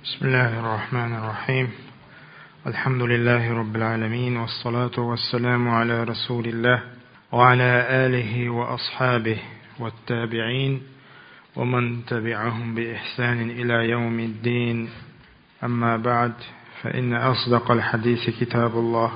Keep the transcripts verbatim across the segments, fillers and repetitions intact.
بسم الله الرحمن الرحيم. الحمد لله رب العالمين، والصلاة والسلام على رسول الله وعلى آله وأصحابه والتابعين ومن تبعهم بإحسان إلى يوم الدين. أما بعد، فإن أصدق الحديث كتاب الله،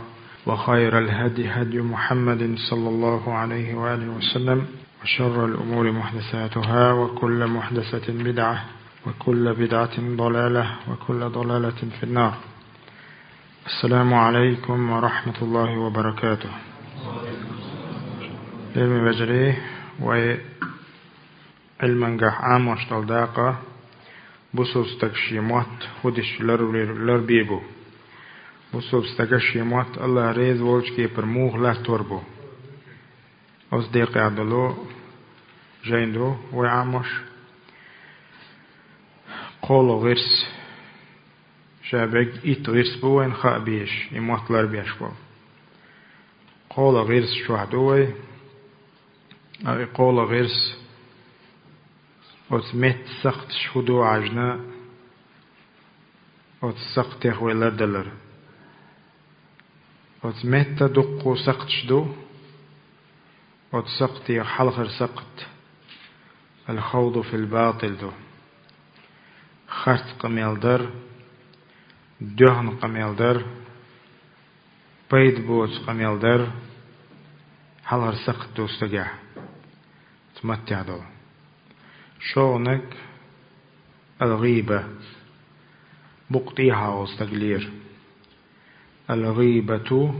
وخير الهدي هدي محمد صلى الله عليه وآله وسلم، وشر الأمور محدثاتها، وكل محدثة بدعة، وكل بدعة ضلالة، وكل ضلالة في النار. السلام عليكم ورحمة الله وبركاته. Лераме вежарий, вай Ӏилмангахь Ӏамош долу дакъа бусалба стага шен мотт хӀун дича лар-, ларбе бу. Бусалба стага шен мотт АллахӀ реза волчу кепара муха латтор бу. Оцу декъехь долу жайна ду вай Ӏамош. КхоалгӀа гӀирс, ша бегга итт гӀирс бу вайна хаа безаш, и мотт ларбеш болу. КхоалгӀа гӀирс чохь ду вай, а и кхоалгӀа гӀирс оцу меттан сакхташ хӀун ду хьажна, оцу сакхтех вай лардалар. Оцу меттан дуккха сакхташ ду, оцу сакхтех хьалхара сакхт аль-хавду филь-батӀил ду. Харц къамел дар, доьхна къамел дар, пайда боцу къамел дар, хьалхара сакхт ду стагехь. Оцу маттехь долу. ШолгӀаниг аль-гӀийба, букъ тӀехьа волу стаг лера. Аль-гӀийбату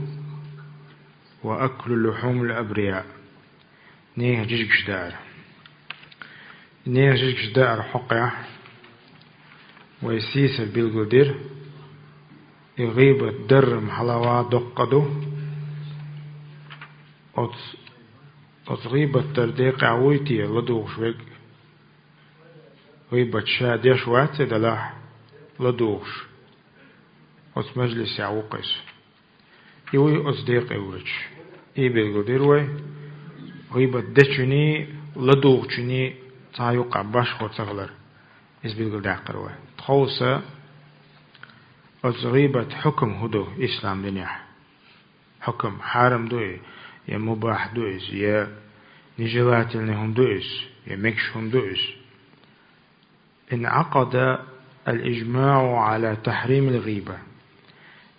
ва аклу лухьумил абрияъ. Нехан жижигаш даар. Нехан жижигаш даар хьокъехь вай сийсара билгалдира. И гӀийбат даррам хьалава доккха ду. Оцу, оцу гӀийбат дар декъехь вуй те ладугӀуш верг? ГӀийбат ша деш вац и делахь, ладугӀуш. Оцу мажлисехь ву-кх иза. И вуй оцу декъе воьдуш. И билгалдира вай, гӀийбат дечуьний, ладугӀучуьний цхьа юккъехь башхо ца хилар. Иза билгалдаьккхира вай. Тховса оцу гӀийбат хьукам хӀун ду ислам динехь? Хьукам, хьарам ду и, я мубахь ду иза, я нежелательный хӀума ду иза, я мегаш хӀума ду иза. Инъакъада аль-ижмаӀу Ӏала тахьримил гӀийба.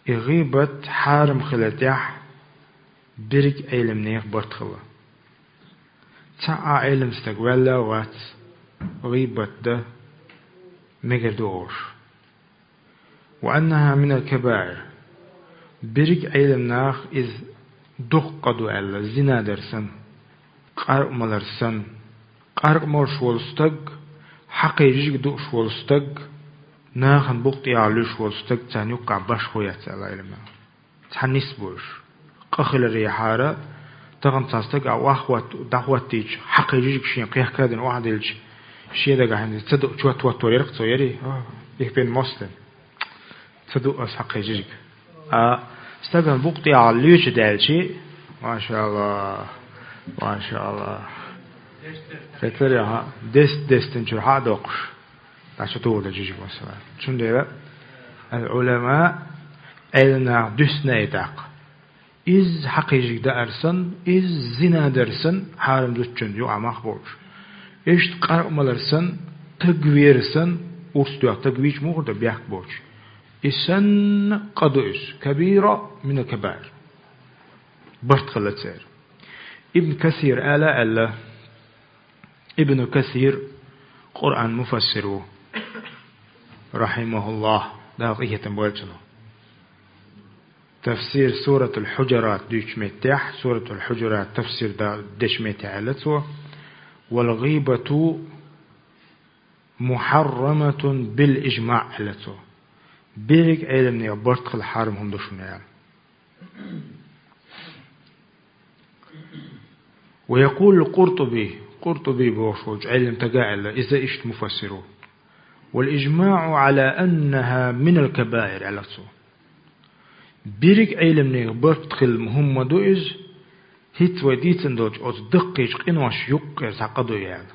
И гӀийбат хьарам хилар тӀехь берриг Ӏеламнех барт хилла. Цхьа а Ӏелам стаг ваьлла а вац, гӀийбат дан мегар ду олуш. Ва аннахьа минал кабаир. Берриг Ӏелам наха иза дуккха къа ду аьлла, зина дар санна, къаркъа малар санна. Къаркъа молуш волу стаг, хьакхе жижиг дууш волу стаг, нахана букъ тӀехьа луьйш волу стаг, царна юккъехь башхо яц аьлла Ӏелам наха. Цхьа нис бу уьш. Къа хиларехьара, тахана цхьа стаг а охьахӀотт-, дӀахӀоттийча, хьакхе жижиг шен кхехкадина охьадилча, шен дагахь хӀинца ца ду чот хӀоттор яра-кх цо, ярий? Их бен мостагӀа. Ца ду ас хьакхе жижиг. А стагана букъ тӀехьа луьйча даьлчи, машааллахӀ, машааллахӀ. Кхетарехьа, дест-дестинчуьра хьа а доккхуш. ДӀа чу тухур ду жижиг, масала. Цундела аль-Ӏулама, Ӏелам наха дуьсна и тӀаккха. Иза хьакхе жижиг даар санна, иза зина дар санна, хьарам зудчун юкъа мах болуш. Иштта къаркъа малар санна, таг вер санна, урс доьхна таг вийча мухӀар дан бехк боцуш. И санна къа ду иза, кабира минал кабаир. Барт хилла церан. Ибн Касир ала аьлла, Ибн Касир Къуръан муфассир ву, рахьимахуллахӀ, Дала къинхетам бойла цунах. Тафсир Суратул Хьуджурат дуьйцучу меттехь, Суратул Хьуджурат тафсир да-, дечу меттехь аьлла цо: «Вал гӀийбату мухьарраматун бил ижмаӀ», аьлла цо. Берриг Ӏеламнех барт хила хьарам хӀума ду шуна аьлла. Ва якъулу Къуртуби, Къуртуби бохуш волчу Ӏелам стага аьлла, иза иштта муфассир ву: «Вал ижмаӀу Ӏала аннахьа минал кабаир», аьлла цо. Берриг Ӏеламнех барт хила хӀума ма ду иза, хӀинца вай дийцина долчу оцу даккхийчу къинош юккъера цхьа къа ду и аьлла.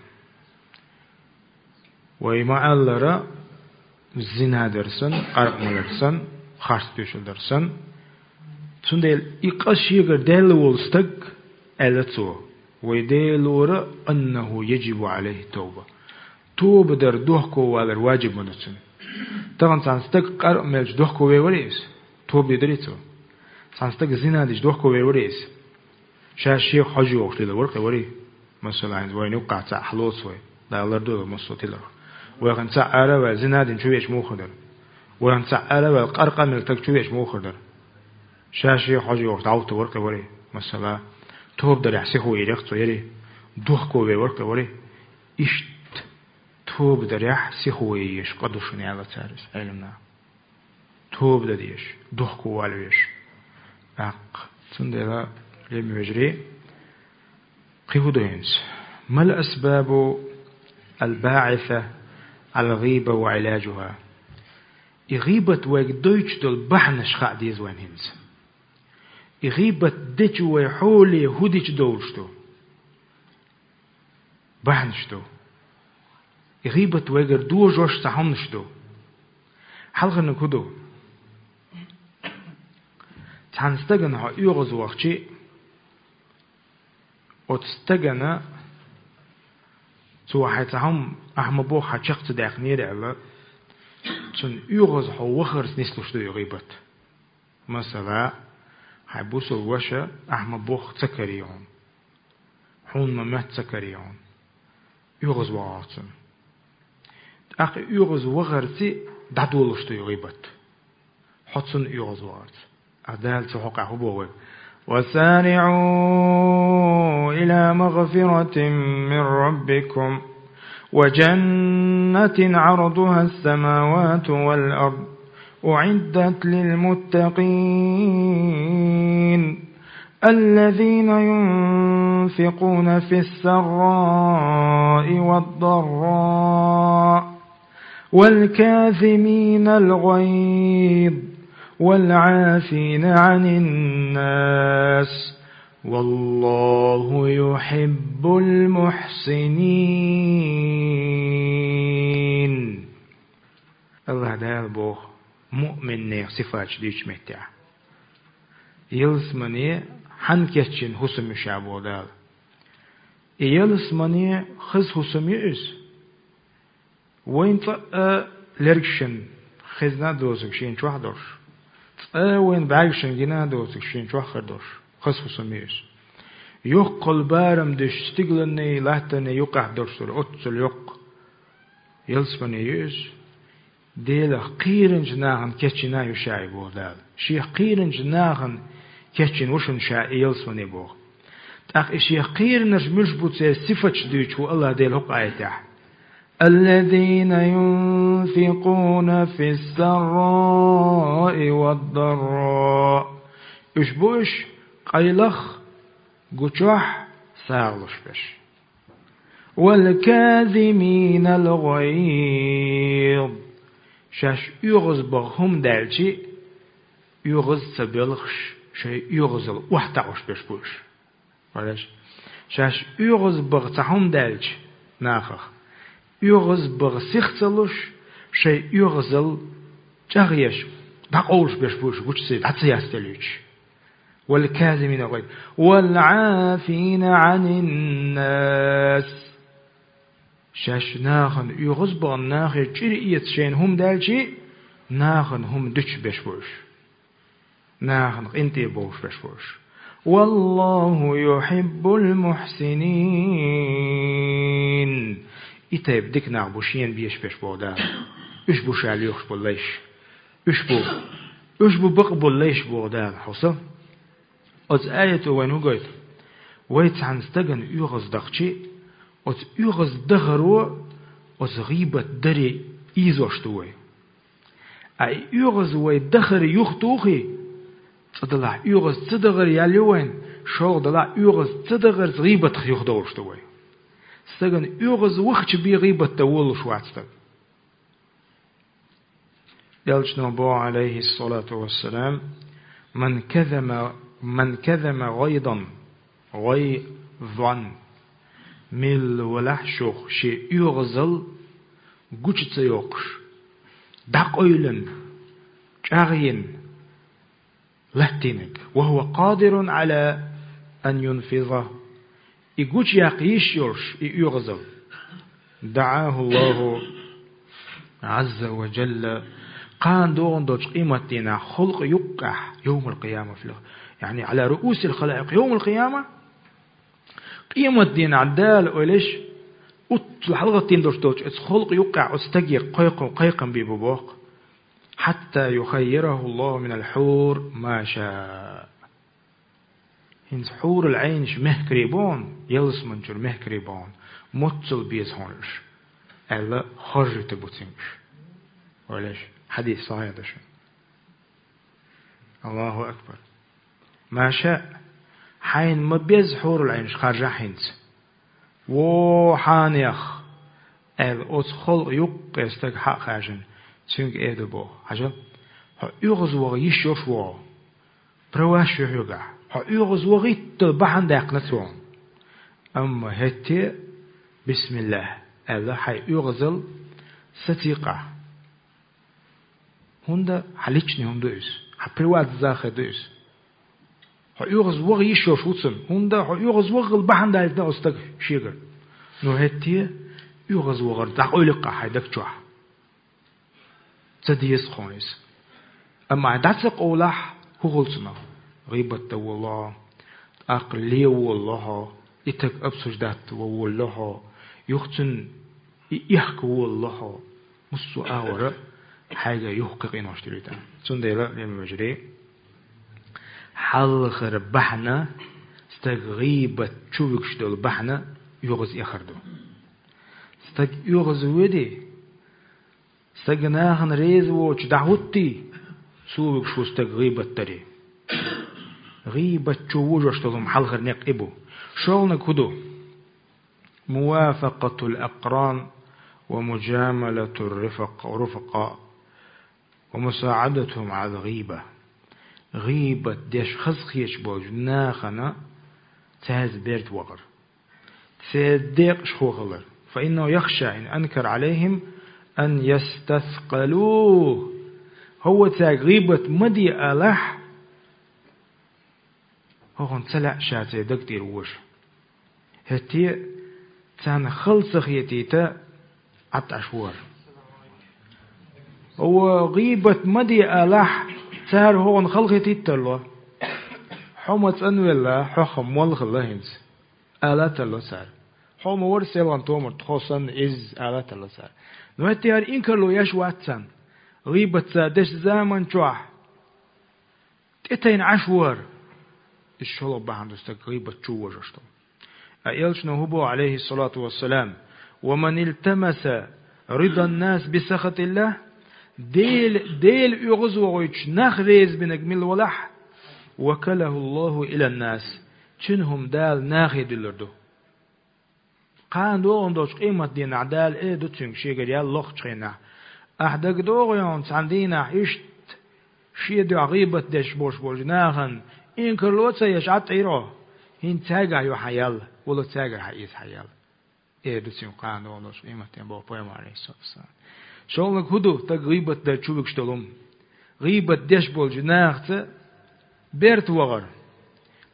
Вай ма-аллара, зина дар санна, къаркъа малар санна, харц тоьшалла дар санна. Цундела и къа шегара даьлла волу стаг, аьлла цо, вай Дела лора, аннаху яджибу Ӏалайхи тавба. Тоба дар дохковалар ваджиб вана цунна. Тахана цхьана стаг къаркъа мелча дохкове вара иза? Тоба дедара цо? Цхьана стаг зина дича дохкове вара иза? Ша шех хьожа йогӀуш лела вара кхин варий? Масала, хӀинца вайна юккъахь цхьаъ хьалоцу вай. Дала лардойла массо а тиларх. Вай хӀинца цхьаъ ара а ваьлла, зина дина чу веача муха дара? Вай хӀинца цхьаъ ара а ваьлла, къаркъа мелла стаг чу веача муха дара? Ша шех хьожа йогӀуш дӀавутту вара кхин варий? Масала, тоба дарехь сихо йийрех цо ярий? Дохкове вара кхин варий? Иштта тоба дарехь сихо ян езаш къа ду шуна аьлла цара иза Ӏеламнаха. Тоба дан дезаш, дохковала везаш. ТӀаккха, цундела, лерам беш вежарий, кхин хӀун ду хӀинца? Мал асбабу аль-баӀиса аль-гӀийба ва Ӏиладжуха? И гӀийбат вайга дойтуш долу бахьанаш хаа деза вайна хӀинца. И гӀийбат дечу вай хьоле хӀун дича довлуш ду? Бахьанаш ду. И гӀийбат вайгара дожош цхьа хӀуманаш ду. Хьалхарниг хӀун ду? Цхьана стагана хьо оьгӀаз вахчи, оцу стагана цо хьайн цхьа хӀума ахь ма бохху, хьан чекх ца даьккхинера аьлла, цунна оьгӀаз хьо вахарца нислуш ду и гӀийбат. Масала, хьайн бусалба ваша ахь ма бохху ца карий хьуна. Хьуна ма моьтту ца карий хьуна. ОьгӀаз вахахь цунна. ТӀаккха и оьгӀаз вахарций дӀадолуш ду и гӀийбат. Хьо цунна оьгӀаз вахарца. Ткъа Дала цу хьокъехь хӀун боху вайга? وسارعوا إلى مغفرة من ربكم وجنة عرضها السماوات والأرض أعدت للمتقين الذين ينفقون في السراء والضراء والكاظمين الغيظ والعافين عن الناس والله يحب المحسنين. АллахӀ Дала боху муъминийн сифаташ дийцучу меттехь: ялсамане хьанна кечйина хӀусам ю ша, боху Дала. И ялсамане хаза хӀусам ю иза. Вайна цкъа а лергашна хезна а доцург шена чохь а долуш, цкъа а вайна бӀаьргашна гина а доцург шена чохь а хир долуш, хаза хӀусам ю иза. Йоккхалла барам дуьсуш стигланний, латтанний юккъехь долуш долу оццул йоккха ялсамане ю иза. Делах кхийринчу нахана кечйина а ю ша и, боху Дала. Шех кхийринчу нахана кечйина ву шуна ша и ялсамане, боху. ТӀаккха и шех кхийринарш муьлш бу, церан сифаташ дуьйцуш ву АллахӀ Дела хӀокху аятехь: الذين ينفقون في السراء والضراء. Уьш бу уьш къайлах, гучохь сагӀа луш берш. والكاظمين الغيظ. Шаьш оьгӀаз баха хӀума даьлчи, оьгӀаз ца боьлхуш, шайн оьгӀазалла охьатаӀуш берш бу уьш. Валеш? Шаьш оьгӀаз баха цхьа хӀума даьлча нахах, оьгӀаз баха сих ца луш, шайн оьгӀазалла чӀагӀъеш, дӀакъовлуш берш бу уьш, гучуца дӀа ца ястелуьйтуш. والكاظمين الغيظ والعافين عن الناس. Шаьш нахана оьгӀаз бахана, нахе чӀир эца шайна хӀума даьлчи, нахана хӀума дуьтуш берш бу уьш. Нахана къинтӀе бовлуш берш бу уьш. والله يحب المحسنين. И тайпа дика нах бу шена безаш берш, боху Дала. Уьш бу ша лоьхуш болу лайш. Уьш бу, уьш бу бакъболу лайш, боху Дала, хьовса. Оцу аято вайна хӀун гойту? Вай цхьана стагана оьгӀаз дахчи, оцу оьгӀаз дахаро оцу гӀийбат даре ийзош ду вай. Ткъа и оьгӀаз вай дахар юхатухий, цкъа делахь оьгӀаз ца дахар ял ю вайна, шолгӀа делахь оьгӀаз ца дахарца гӀийбатах юхадовлуш ду вай. Стагана оьгӀаз вахча бен гӀийбат дан волуш вац стаг. Элчано боху, Ӏалайхиссалату вассалам: «Ман казама, ман казама гӀайзан, гӀайзан». Милла валахь шух шен оьгӀазалла гучу ца йоккхуш, дӀакъойлина, чӀагӀйина латтийнарг. وهو قادر على أن ينفذه. И гучаяккха йиш йолуш, и оьгӀазалла. دعاه الله عز وجل. Кхана догӀун долчу къематдийнахь халкъан юккъехь, يوم القيامة في الخ-، يعني على رؤوس الخلائق يوم القيامة. Къематдийнахь Дала ойла йиш, уьттал хьалагӀаттийна долуш долчу оцу халкъан юккъехь оцу стаге кхайкхам, кхайкхам бийр бу боху. حتى يخيره الله من الحور ما شاء. ХӀинца хьурул Ӏайнаш мехкарий бу хьуна, ялсаманчуьра мехкарий бу хьуна, моццал беза хьуна уьш, аьлла, хоржуьйтур бу цуьнга уьш. Ойла йиш, хьадис сахьихь ду шуна. Аллаху акбар. Ма ша, хьайна ма безза хьурул Ӏайнаш харжахь хӀинца. Во хьанех, аьлла, оцу халкъан юккъе стаг хьа а хаьржина, цуьнга эр ду боху: хьажал, хьо оьгӀазвахар йиш йолуш ву хьо. Праваш ю хьоьгахь. Хьо оьгӀазвахийтал бахьана даьккхина цо. Амма хӀетте, бисмиллахӀ, аьлла, хьайн оьгӀазалла сацийкъахь. ХӀунда хьан личный хӀума ду иза, хьан приватный захар ду иза. Хьо оьгӀазвахар йиш йолуш ву цунна, хӀунда хьо оьгӀазвахал бахьана даьккхина оцу стага шегара. Ну хӀетте, оьгӀазвахар дӀакъойлаккха хьайн даг чохь. Ца деза хьуна иза. Амма хьайн дӀа ца къовлахь, хӀун хуьлу цунах? ГӀийбат дан волало хьо, тӀаккха лен волало хьо, и стаг обсуждать ван волало хьо, юха цуьнан и эхка волало хьо. Массо а агӀора хьайга юха кхин къинош тӀе витар. Цундела, лерам вежарий, хьалхара бахьана, стаг гӀийбат чу вуьгуш долу бахьана оьгӀаз эхар ду. Стаг оьгӀаз вуьди, стаг нахана реза воцуш дӀахӀуттий, цо вуьгуш ву стаг гӀийбат дарий. ГӀийбат чу вожош долу хӀума хьалхара некъ и бу. ШолгӀаниг хӀун ду? موافقة الأقران ومجاملة الرفق-، الرفقاء ومساعدتهم على الغيبة. ГӀийбат деш хазахеташ болчу нахана цаьрца берта вахар. Церан декъашхо хилар. فإنه يخشى إن أنكر عليهم أن يستثقلوه. ХӀавва цаьрга гӀийбат ма де алахь, хӀокхунна ца лаьа ша церан даг тӀера вожа. ХӀетте а царна хала ца хетийта, Ӏад Ӏаш ву хӀара. ХӀавва гӀийбат ма де алахь, цара хӀокхунна хала хетийта тарло. Хьо ма цӀанвелла, хьох-м молла хилла хӀинца, ала тарло цара. Хьо ма вара селхана томар, тхо санна изза, ала тарло цара. Ну хӀетте а хӀара инкарло еш вац царна. ГӀийбат цара дечу заман чохь тӀетайна Ӏаш ву хӀара. Иза шолгӀа бахьана ду стаг гӀийбат чу вожош долу. Ткъа элчано хӀун боху, عليه الصلاة والسلام: ومن التمس رضا الناس بسخط الله, Дела, Дела оьгӀазвохуьйтуш нах резабинарг мила валахь, وكله الله إلى الناس, цуьнан хӀума Дала нахе дуьллур ду. Кхана догӀун долчу къематдийнахь Дала эр ду цуьнга шегара ял лохучу хенахь: ахь дагадогӀий хьуна цхьана дийнахь иштта шен дуьхьа гӀийбат деш болуш болчу нахана инкарло а ца еш Ӏад Ӏийра хьо? ХӀинца цаьргахь ю хьан ял, вала цаьргара хьаэца хьан ял. Эр ду цуьнга кхана догӀун долчу къематдийнахь, боху пайхамар, Ӏалайхиссалату вассалам. ШолгӀаниг хӀун ду стаг гӀийбат дан чу вуьгуш долу хӀума? ГӀийбат деш болчу нахаца берта вахар,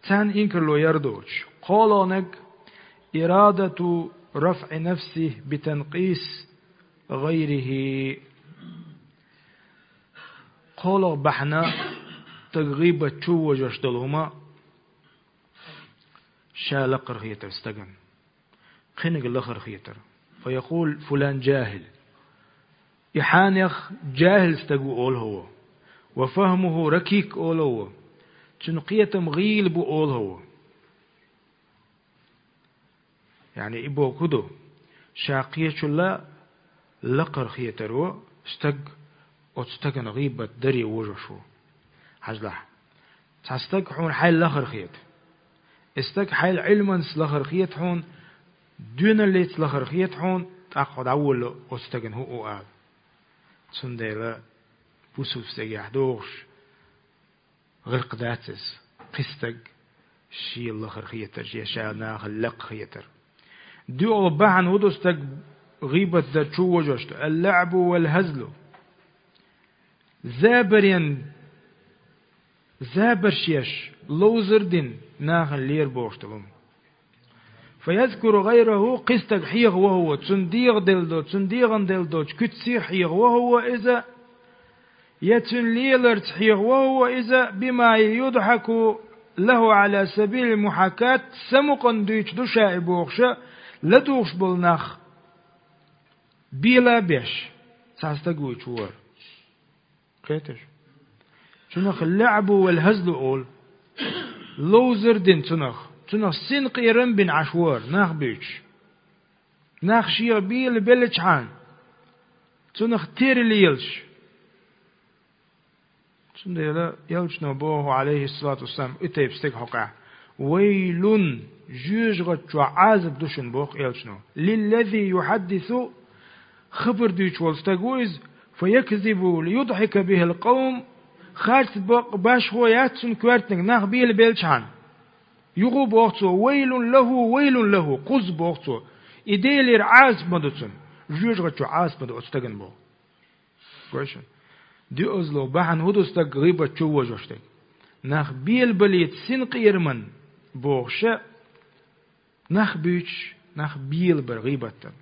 царна инкарло яр доцуш. КхоалгӀаниг: إرادة رفع نفسه بتنقيص غيره. КхоалгӀа бахьана стаг гӀийбат чу вожош долу хӀума ша лакхара хетар стагана. Кхиниг лахара хетар. فيقول: فلان جاهل. И хьанех жахӀил стаг ву олу хӀавва. وفهمه ركيك олу хӀавва. Цуьнан кхетам гӀийла бу олу хӀавва. Яъни и боху хӀун ду? Ша кхечулла лакхара хетаро стаг оцу стагана гӀийбат даре вожош ву. Хьажалахь, цхьа стаг хьуна хьайл лахара хета. И стаг хьайл Ӏилманца лахара хета хьуна, доьналлица лахара хета хьуна, тӀаккха хьо дӀаволла оцу стагана хӀун а ала. Цундела бусулба стагехь догӀуш гӀиркх дац иза, кхин стаг шен лахара хетар, я ша нахал лакха хетар. ДоьалгӀа бахьана хӀун ду стаг гӀийбат дар чу вожош ду? اللعب والهزل. Забарен, забарш еш, ловзар дина нахана лера бохуш долу хӀума. فيذكر غيره, кхин стаг хьеха вахо, цунна дегӀан делла доцу, цунна дегӀан делла доцу куьццех хьеха вахо иза, я цуьнан леларца хьеха вахо иза, بما يضحك له على سبيل المحاكاة, самукъана дуьйцуш ду ша и бохуша, ладугӀуш болу нах бела а беш, цхьа стаг вуьйцуш вара. Кхеташ? Цунах лаӀбу вал хазлу олу. Ловзар дина цунах. Цунах синкъерам бина Ӏаш вара, нах буьйцуш. Нах шех бела беллачхьана, цунах тера лелаш. Цундела элчано боху, Ӏалайхиссалату вассалам, и тайпа стеган хьокъехь: «Вайлун, жоьжахати чохь Ӏазап ду шуна», боху элчано. «Лиллази юхьаддису», хабар дуьйцуш волу стаг ву иза, «фаякзибу лиюдхьика бихил къавм», харц бакъ башхо яц цунна коьртаниг, нах бела беллачхьана. Юха боху цо: «Вайлун лаху, вайлун лаху», кхузза боху цо. И Делера Ӏазап ма ду цунна, жоьжахати чохь Ӏазап ма ду оцу стагана боху. Гой шуна. Доьазло, бахьана хӀун ду стаг гӀийбат чу вожош дерг? Нах белабалийта синкъераман бохуша, нах буьйцуш, нах белабар гӀийбат дан.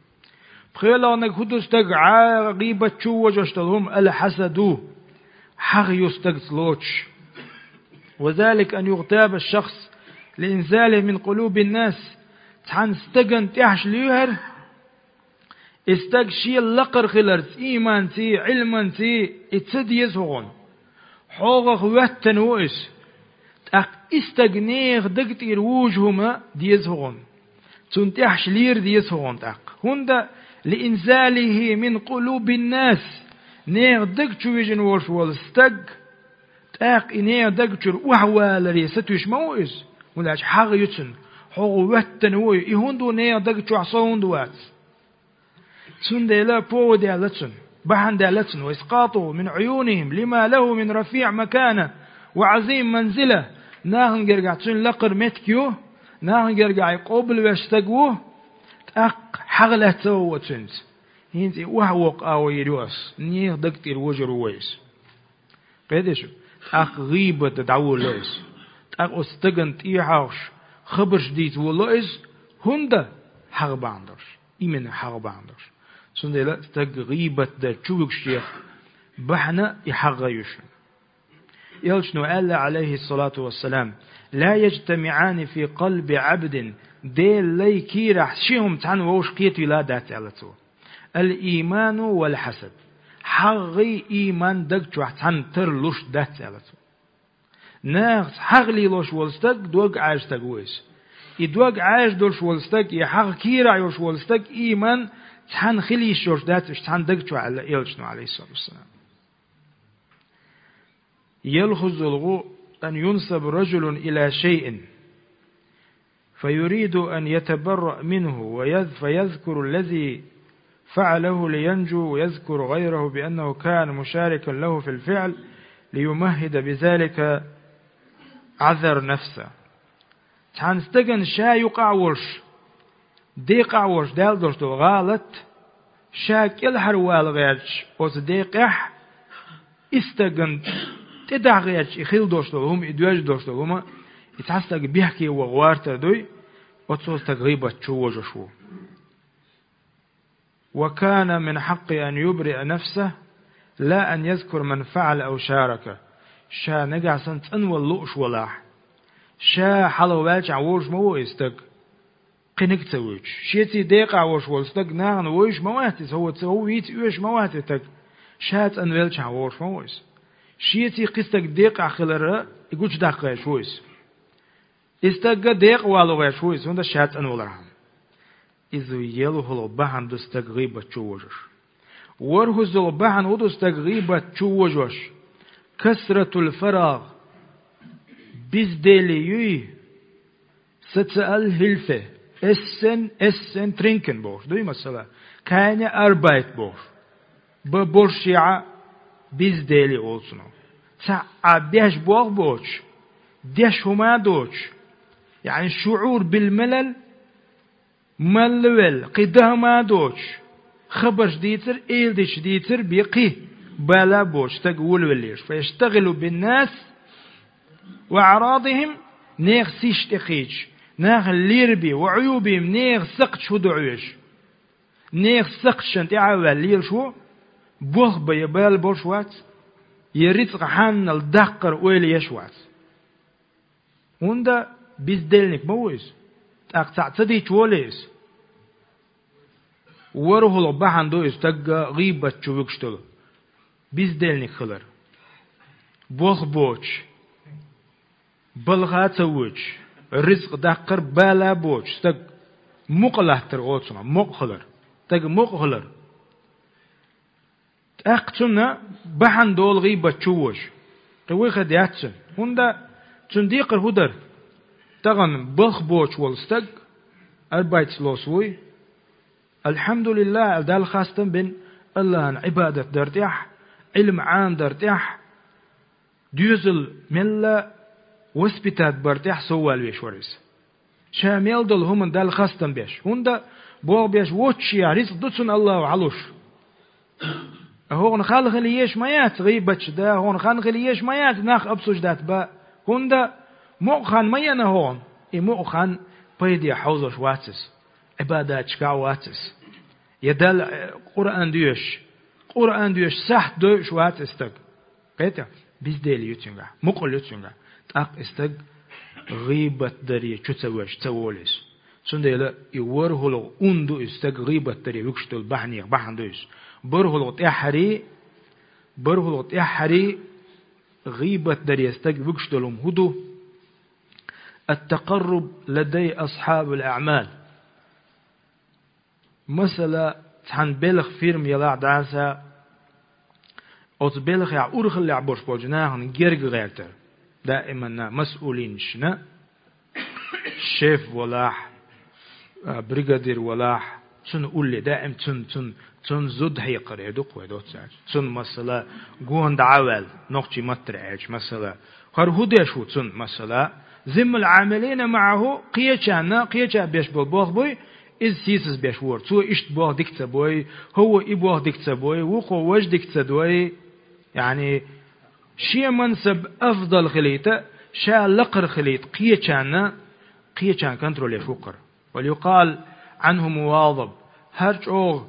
ПхоьалгӀаниг хӀун ду стаг гӀа-, гӀийбат чу вожош долу хӀума? Аль-хьасаду, хьагӀ ю стагца лоцуш. Ва залика ан югътаба шахс лиинзалихи мин къулубин нас, цхьана стагана тӀехьаш лоьхар, и стаг шен лакхара хиларца, ийманций, Ӏилманций, и ца деза хӀокхунна. ХьогӀах хӀоьттина ву иза. ТӀаккха и стаг нехан даг тӀера вужу хӀума деза хӀокхунна. Цунна тӀехьаш лера деза хӀокхунна тӀаккха. ХӀунда лиинзалихи мин къулубин нас, нехан даг чу вижина волуш волу стаг, тӀаккха и нехан даг чуьра охьаваларе сатуьйсуш ма ву иза. ХӀунда аьлча хьагӀ ю цунна, хьогӀ хӀоьттина ву и, и хӀунда ву нехан даг чохь, со хӀунда вац? Цундела повод яьлла цунна, бахьана даьлла цунна: «Ва искъатуху мин Ӏуюнихим лима лаху мин рафиъ макана ва Ӏазим манзила». Нахана гергахь цуьнан лакхара меттиг ю, нахана гергахь и къобалвеш стаг ву, тӀаккха хьагӀ лаьцна ву цуьнца. ХӀинца и охьавоккха агӀо йийр ю ас, нехан даг тӀера вожур ву вай иза. Кхеташ? ТӀаккха гӀийбат дан дӀаволало иза. ТӀаккха оцу стагана тӀехьагӀуш хабарш дийца волало иза, хӀунда? ХьагӀ бахьана долуш. Именно хьагӀ бахьана долуш. Цундела стаг гӀийбат дан чу вуьгуш дехьа бахьана и хьагӀ ю шуна. Элчано аьлла, Ӏалайхиссалату вассалам: «Ла яжтамиъани фи къалби Ӏабдин», Делан лай кийрахь ши хӀума цхьаьна вовшах кхетийла дац, аьлла цо. «Ал-ийману вал-хьасад». ХьагӀгӀий, ийман даг чохь цхьаьна тарлуш дац, аьлла цо. Нахаца хьагӀ лелош волу стаг дог Ӏаьржа стаг ву иза. И дог Ӏаьржа долуш волу стаг, и хьагӀ кийрахь йолуш волу стаг, ийман цхьаьна хила йиш йолуш дац уьш цхьаьна даг чохь, аьлла элчано, Ӏалайхиссалату вассалам. يلفظ الغ-، أن ينسب رجل إلى شيء فيريد أن يتبرأ منه ويذ-، فيذكر الذي فعله لينجو ويذكر غيره بأنه كان مشاركا له في الفعل ليمهد بذلك عذر نفسه. Цхьана стагана ша юкъахь волуш, декъахь волуш даьлла долуш долу гӀалат, ша кӀелхьарвала гӀерташ оцу декъехь, и стагана тӀедахьа гӀерташ и хила долуш долу хӀума, и доьжна долуш долу хӀума, и цхьа стаг бехке ваха гӀортар дуй, оцо стаг гӀийбат чу вожуш ву. وكان من حقه أن يبرئ نفسه لا أن يذكر من فعل أو شارك. Ша нагахь санна цӀанвала лууш валахь, ша хьалха ваьлчахь вожуш ма ву и стаг, кхиниг а ца вуьйцуш. Шеца декъахь волуш волу стаг нахана вуьйцуш ма вац иза, хӀо ца вийца оьшуш ма вац и стаг. Ша цӀанвелчахь вожуш ма ву иза. Шеца кхин стаг декъахь хилар и гучудаккха гӀерташ ву иза. И стаг декъа вала гӀерташ ву иза, хӀунда ша цӀанвалархьама. Иза ялхалгӀа бахьана ду стаг гӀийбат чу вожош. ВорхӀаззалгӀа бахьана хӀун ду стаг гӀийбат чу вожош? كثرة الفراغ. Бездели юй, сацаал хӀилфе, эссен, эссен тринкен бохуш дуй, масала, keine Arbeit бохуш. Бан боршехьа бездели олу цунах. Цхьа а беш болх боцуш, деш хӀума а доцуш, яъни шугӀур бил малал, малла велла, кхин дан хӀума а доцуш, хабарш дийцар, эладиташ дийцар бен кхин. бала боцу стаг волавеллераш. فيشتغل بالناس وأعراضهم, нехан сиз тӀекхийдаш, нахана лербе, وعيوبهم, нехан сакхташ хӀун ду Ӏаш. Нехан сакхташна тӀаьхьа а ваьлла лелаш ву, болх бан я бала болуш вац, я рицкъа хьанал даккхар ойла еш вац. ХӀунда бездельник ма ву иза, тӀаккха цхьаъ ца дича волий иза. ВорхӀалгӀа бахьана ду иза стаг гӀийбат чу вуьгуш долу. Бездельник хилар. Болх боцуш, балха а ца воьдуш, рицкъа даккхар бала а боцуш стаг, мукъа латтар оцунах, мукъа хилар. Стаг мукъа хилар. ТӀаккха цунна бахьана долу гӀийбат чу вожа. Кхин вуй хир дац цунна. ХӀунда цунна декхар хӀун дара? Тахана балх боцуш волу стаг, арбайташ лосу вуй. Алхьамдулиллах, аьлла Далла хастам бина, Аллахьан Ӏибадат дар тӀехь, Ӏилма Ӏамадар тӀехь, доьзал мелла воспитат бар тӀехь соввал веш вара иза. Ша мел долу хӀуманна Далла хастам беш. ХӀунда боху беш воцчехь рицкъ ду цунна Аллахьа хьалуш. ХӀокхунна хала хила еш ма яц гӀийбатчу да, хӀокхунна хан хила еш ма яц нах обсуждать ба. ХӀунда мукъа хан ма яна хӀокхунна. И мукъа хан пайде хьовзош вац иза. Ӏибадатчу кахь вац иза. Я Далла, э, Къуръан доьшуш, Къуръан доьшуш сахьт дойуш вац и стаг. Кхетий? Бездели ю цуьнгахь, мукъал ю цуьнгахь. ТӀаккха и стаг гӀийбат даре чу ца веш, ца волу иза. Цундела и ворхӀалгӀа ун ду иза стаг гӀийбат даре вуьгуш долу бахьанех бахьана ду иза. БорхӀалгӀа тӀаьххьарий, борхӀалгӀа тӀаьххьарий гӀийбат даре стаг вуьгуш долу хӀума хӀун ду? التقرب لدي أصحاب الأعمال. Масала, цхьана белхан фирма ялахь дӀаса, оцу белхехь урхаллехь болуш болчу нахана герга гӀертар. Даиманна масъулинашна, шеф валахь, а, бригадир валахь, цунна улле даим цун, цун, цун зуда хьекхар, э, ду-кх вай доццаьрца. Цун, масала, гонах дӀа а ваьлла, нохчийн маттара аьлча, масала, хӀара хӀун деш ву цунна, масала, зиммал Ӏамилина маӀаху, кхечанна, кхеча беш болу болх буй, иза сийсаз беш вора. Цо иштта болх дика ца бой, хӀо ву и болх дика ца бой, вукхо важа дика ца дой. Яъни, шен мансаб афдал хилийта, ша лакхара хилийта, кхечанна, кхечанна контроль еш ву-кх хӀара. وليقال عنه مواظب. ХӀара чӀогӀа,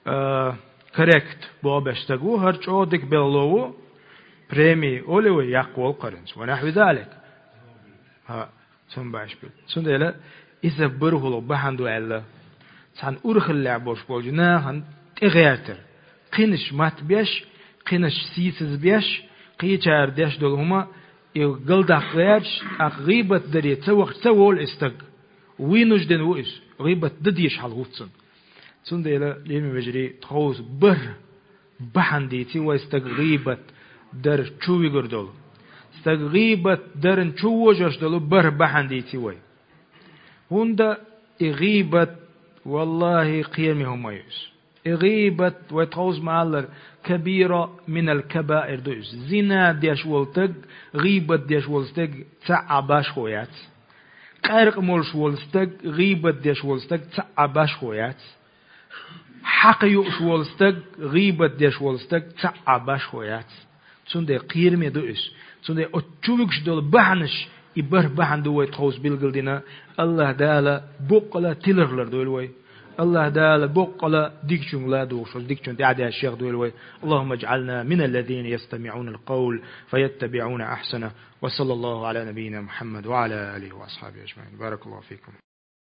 а, коррект боху беш стаг ву, хӀара чӀогӀа дика белхало ву, преми олий вай, яккха волу-кх хӀара хӀинца. ونحو ذلك. ХӀа, цунна баш бу. Цундела иза борхӀалгӀа бахьана ду аьлла, цхьана урхаллехь болуш болчу нахана тӀегӀертар. Кхинаш матбеш, кхинаш сийсазбеш, кхечара деш долу хӀума и галдаккха гӀерташ, тӀаккха гӀийбат даре ца вахча ца волу и стаг. Вынужден ву иза, гӀийбат дан дезаш хьал хӀутту цунна. Цундела, лераме вежарий, тховса бархӀ бахьана дийци вай стаг гӀийбат дар чу вигур долу. Стаг гӀийбат дарна чу вожош долу бархӀ бахьана дийци вай. ХӀунда и гӀийбат, валлахӀи, кхераме хӀума ю иза. И гӀийбат, вай тховса ма-аллара, кабира минал кабаир ду иза. Зина деш волу стаг, гӀийбат деш волу стаг цхьа а башхо яц. Къаьркъа молуш волу стаг, гӀийбат деш волу стаг цхьа а башхо яц. Хьакха юуш волу стаг, гӀийбат деш волу стаг цхьа а башхо яц. Цундела кхераме ду иза. Цундела оцу чу вуьгуш долу бахьанаш, и бархӀ бахьана ду вай тховса билгалдина. АллахӀ Дала боккъала тиларх лардойла вай. АллахӀ Дала боккъала дикачуьнга ладугӀуш, оцу дикачунна тӀаьхьадаьлла шех дойла вай. اللهم اجعلنا من الذين يستمعون القول فيتبعون أحسنه. وصلى الله على نبينا محمد وعلى آله وأصحابه أجمعين. بارك الله فيكم.